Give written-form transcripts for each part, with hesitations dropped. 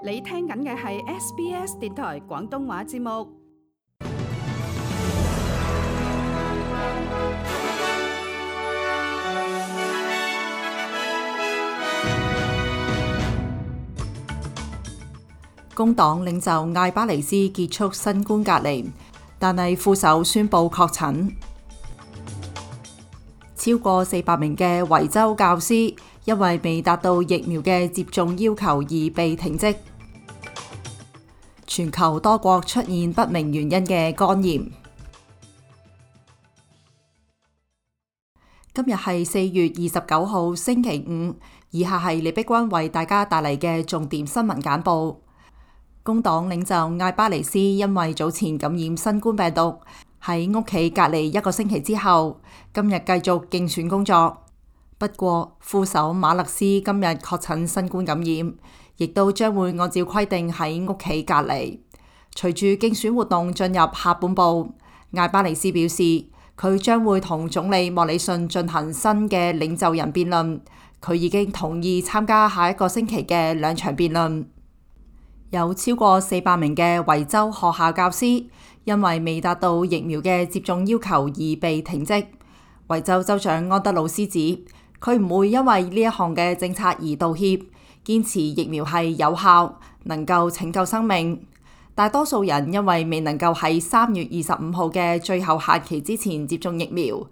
你聽緊嘅係 SBS 電台廣東話節目。工黨領袖艾巴尼斯結束新冠隔離，但係副手宣布確診。超過400名嘅維州教師因為未達到疫苗嘅接種要求而被停職。全球多國出現不明原因嘅肝炎。今日係4月29號星期五，以下係李碧君為大家帶嚟嘅重點新聞簡報。工黨領袖艾巴尼斯因為早前感染新冠病毒，喺屋企隔離1個星期之後，今日繼續競選工作。不過，副手馬勒斯今日確診新冠感染，亦都將會按照規定喺屋企隔離。隨住競選活動進入下半部，艾巴尼斯表示，佢將會同總理莫里遜進行新嘅領袖人辯論。佢已經同意參加下一個星期嘅2場辯論。有超過400名嘅維州學校教師因為未達到疫苗嘅接種要求而被停職。維州州長安德魯斯指，佢唔會因為呢一項嘅政策而道歉，堅持疫苗係有效，能夠拯救生命。大多數人因為未能夠喺3月25號嘅最後限期之前接種疫苗。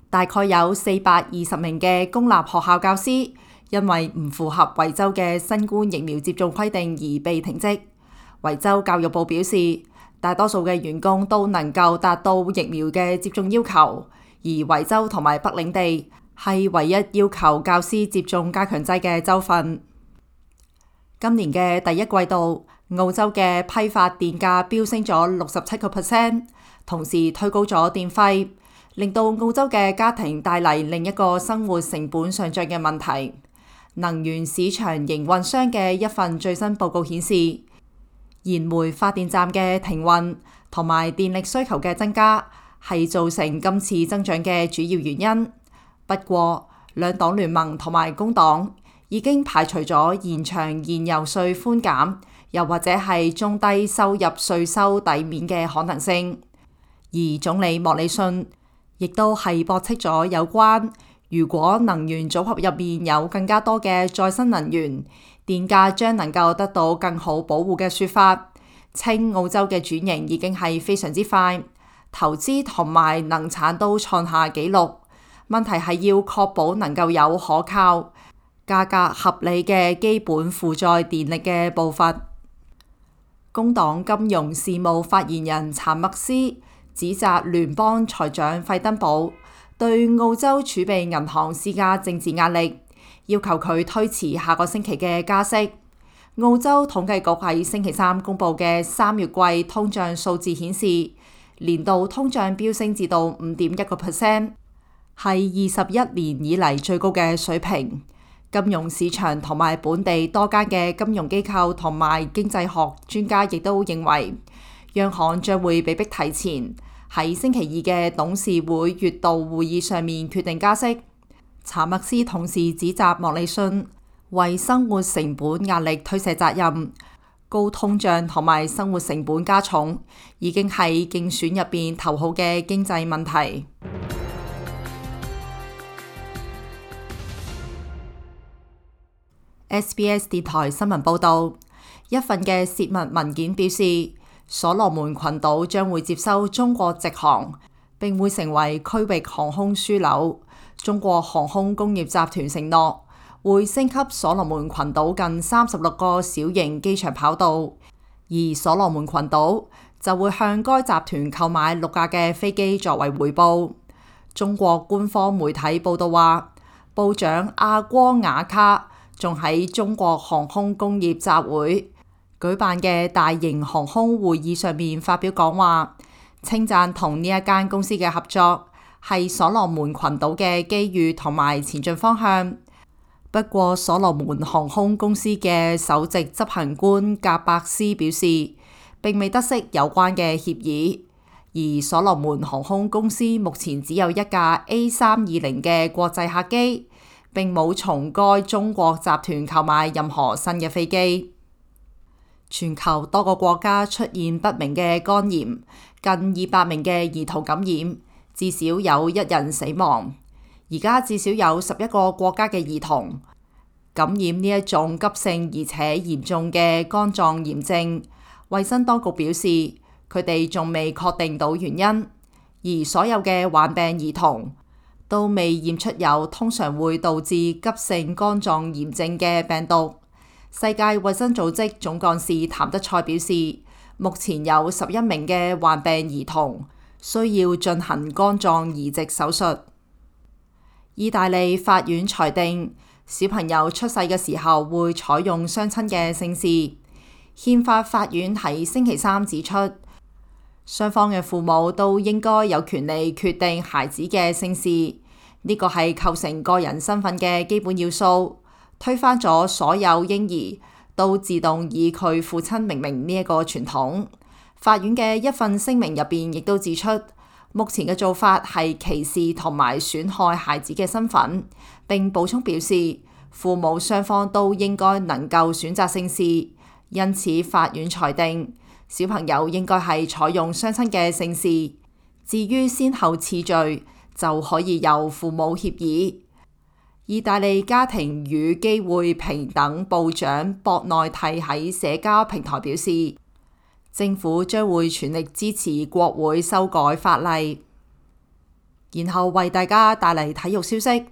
大概有420名嘅公立學校教師因為唔符合維州嘅新冠疫苗接種規定而被停職。維州教育部表示，大多數嘅員工都能夠達到疫苗嘅接種要求，而維州同埋北領地係唯一要求教師接種加強劑嘅州份。今年嘅第一季度，澳洲嘅批發電價飆升咗67%，同時推高咗電費，令到澳洲嘅家庭帶嚟另一個生活成本上漲嘅問題。能源市場營運商嘅一份最新報告顯示，燃煤發電站嘅停運同埋電力需求嘅增加係造成今次增長嘅主要原因。不過，兩黨聯盟同埋工黨已經排除咗延長燃油稅寬減，又或者係中低收入稅收抵免嘅可能性。而總理莫里遜亦都係駁斥咗有關如果能源組合入面有更加多嘅再生能源，電價將能夠得到更好保護嘅說法，稱澳洲嘅轉型已經係非常之快，投資同埋能產都創下紀錄。問題係要確保能夠有可靠、價格合理嘅基本負載電力嘅步伐。工黨金融事務發言人查默斯指責聯邦財長費登堡對澳洲儲備銀行施加政治壓力，要求佢推遲下個星期嘅加息。澳洲統計局喺星期3公布嘅3月季通脹數字顯示，年度通脹飆升至到5.1%，係21年以嚟最高嘅水平。金融市場同埋本地多間嘅金融機構同埋經濟學專家亦都認為，央行將會被迫提前喺星期2嘅董事會月度會議上面決定加息。查默斯同時指責莫里遜為生活成本壓力推卸責任，高通脹同埋生活成本加重已經係競選入邊頭號嘅經濟問題。SBS 電台新聞報道，一份嘅泄密文件表示，所羅門群島將會接收中國直航，並會成為區域航空樞紐。中國航空工業集團承諾會升級所羅門群島近36個小型機場跑道，而所羅門群島就會向該集團購買6架嘅飛機作為回報。中國官方媒體報道話，部長阿戈雅卡仲喺中國航空工業集會舉辦嘅大型航空會議上面發表講話，稱讚同呢一間公司嘅合作係所羅門群島嘅機遇同埋前進方向。不過，所羅門航空公司嘅首席執行官格伯斯表示，並未得悉有關嘅協議，而所羅門航空公司目前只有1架 A320嘅國際客機，並冇從該中國集團購買任何新嘅飛機。全球多個國家出現不明嘅肝炎，近200名嘅兒童感染，至少有1人死亡。而家至少有11個國家嘅兒童感染呢一種急性而且嚴重嘅肝臟炎症。衛生當局表示，佢哋仲未確定到原因，而所有嘅患病兒童都未驗出有通常會導致急性肝臟炎症嘅病毒。世界衛生組織總幹事譚德塞表示，目前有11名嘅患病兒童需要進行肝臟移植手術。意大利法院裁定，小朋友出世嘅時候會採用雙親嘅姓氏。憲法法院喺星期三指出，雙方嘅父母都應該有權利決定孩子嘅姓氏，呢個係構成個人身份嘅基本要素，推翻咗所有嬰兒都自動以佢父親命名呢一個傳統。法院嘅一份聲明入邊亦都指出，目前嘅做法係歧視同埋損害孩子嘅身份，並補充表示，父母雙方都應該能夠選擇姓氏。因此，法院裁定小朋友應該係採用雙親嘅姓氏。至於先後次序，就可以由父母協議。意大利家庭與機會平等部長博內蒂喺社交平台表示，政府將會全力支持國會修改法例。然後為大家帶嚟體育消息，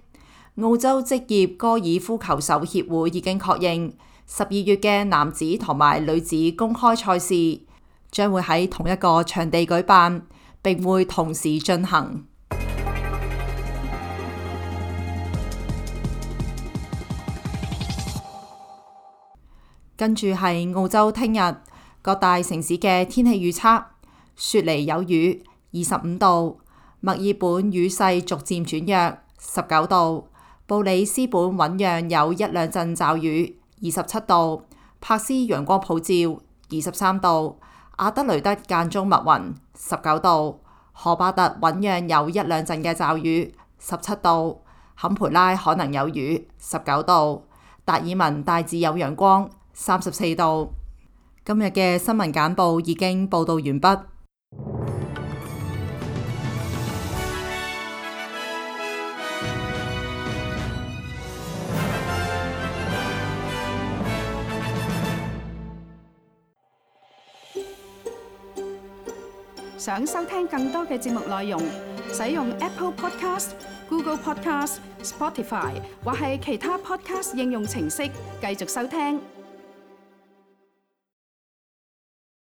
澳洲職業高爾夫球手協會已經確認12月嘅男子同埋女子公開賽事將會喺同一個場地舉辦，並會同時進行。跟住係澳洲聽日各大城市嘅天氣預測：雪梨有雨，25度；墨爾本雨勢逐漸轉弱，19度；布里斯本醞釀有1、2陣驟雨，27度；柏斯陽光普照，23度；阿德雷德間中密雲，19度；荷巴特醞釀有1、2陣嘅驟雨，17度；坎培拉可能有雨，19度；達爾文大致有陽光，34度。今日嘅新聞簡報已經報道完畢。想收聽更多嘅節目內容，使用 Apple Podcast、Google Podcast、Spotify 或係其他 Podcast 應用程式繼續收聽。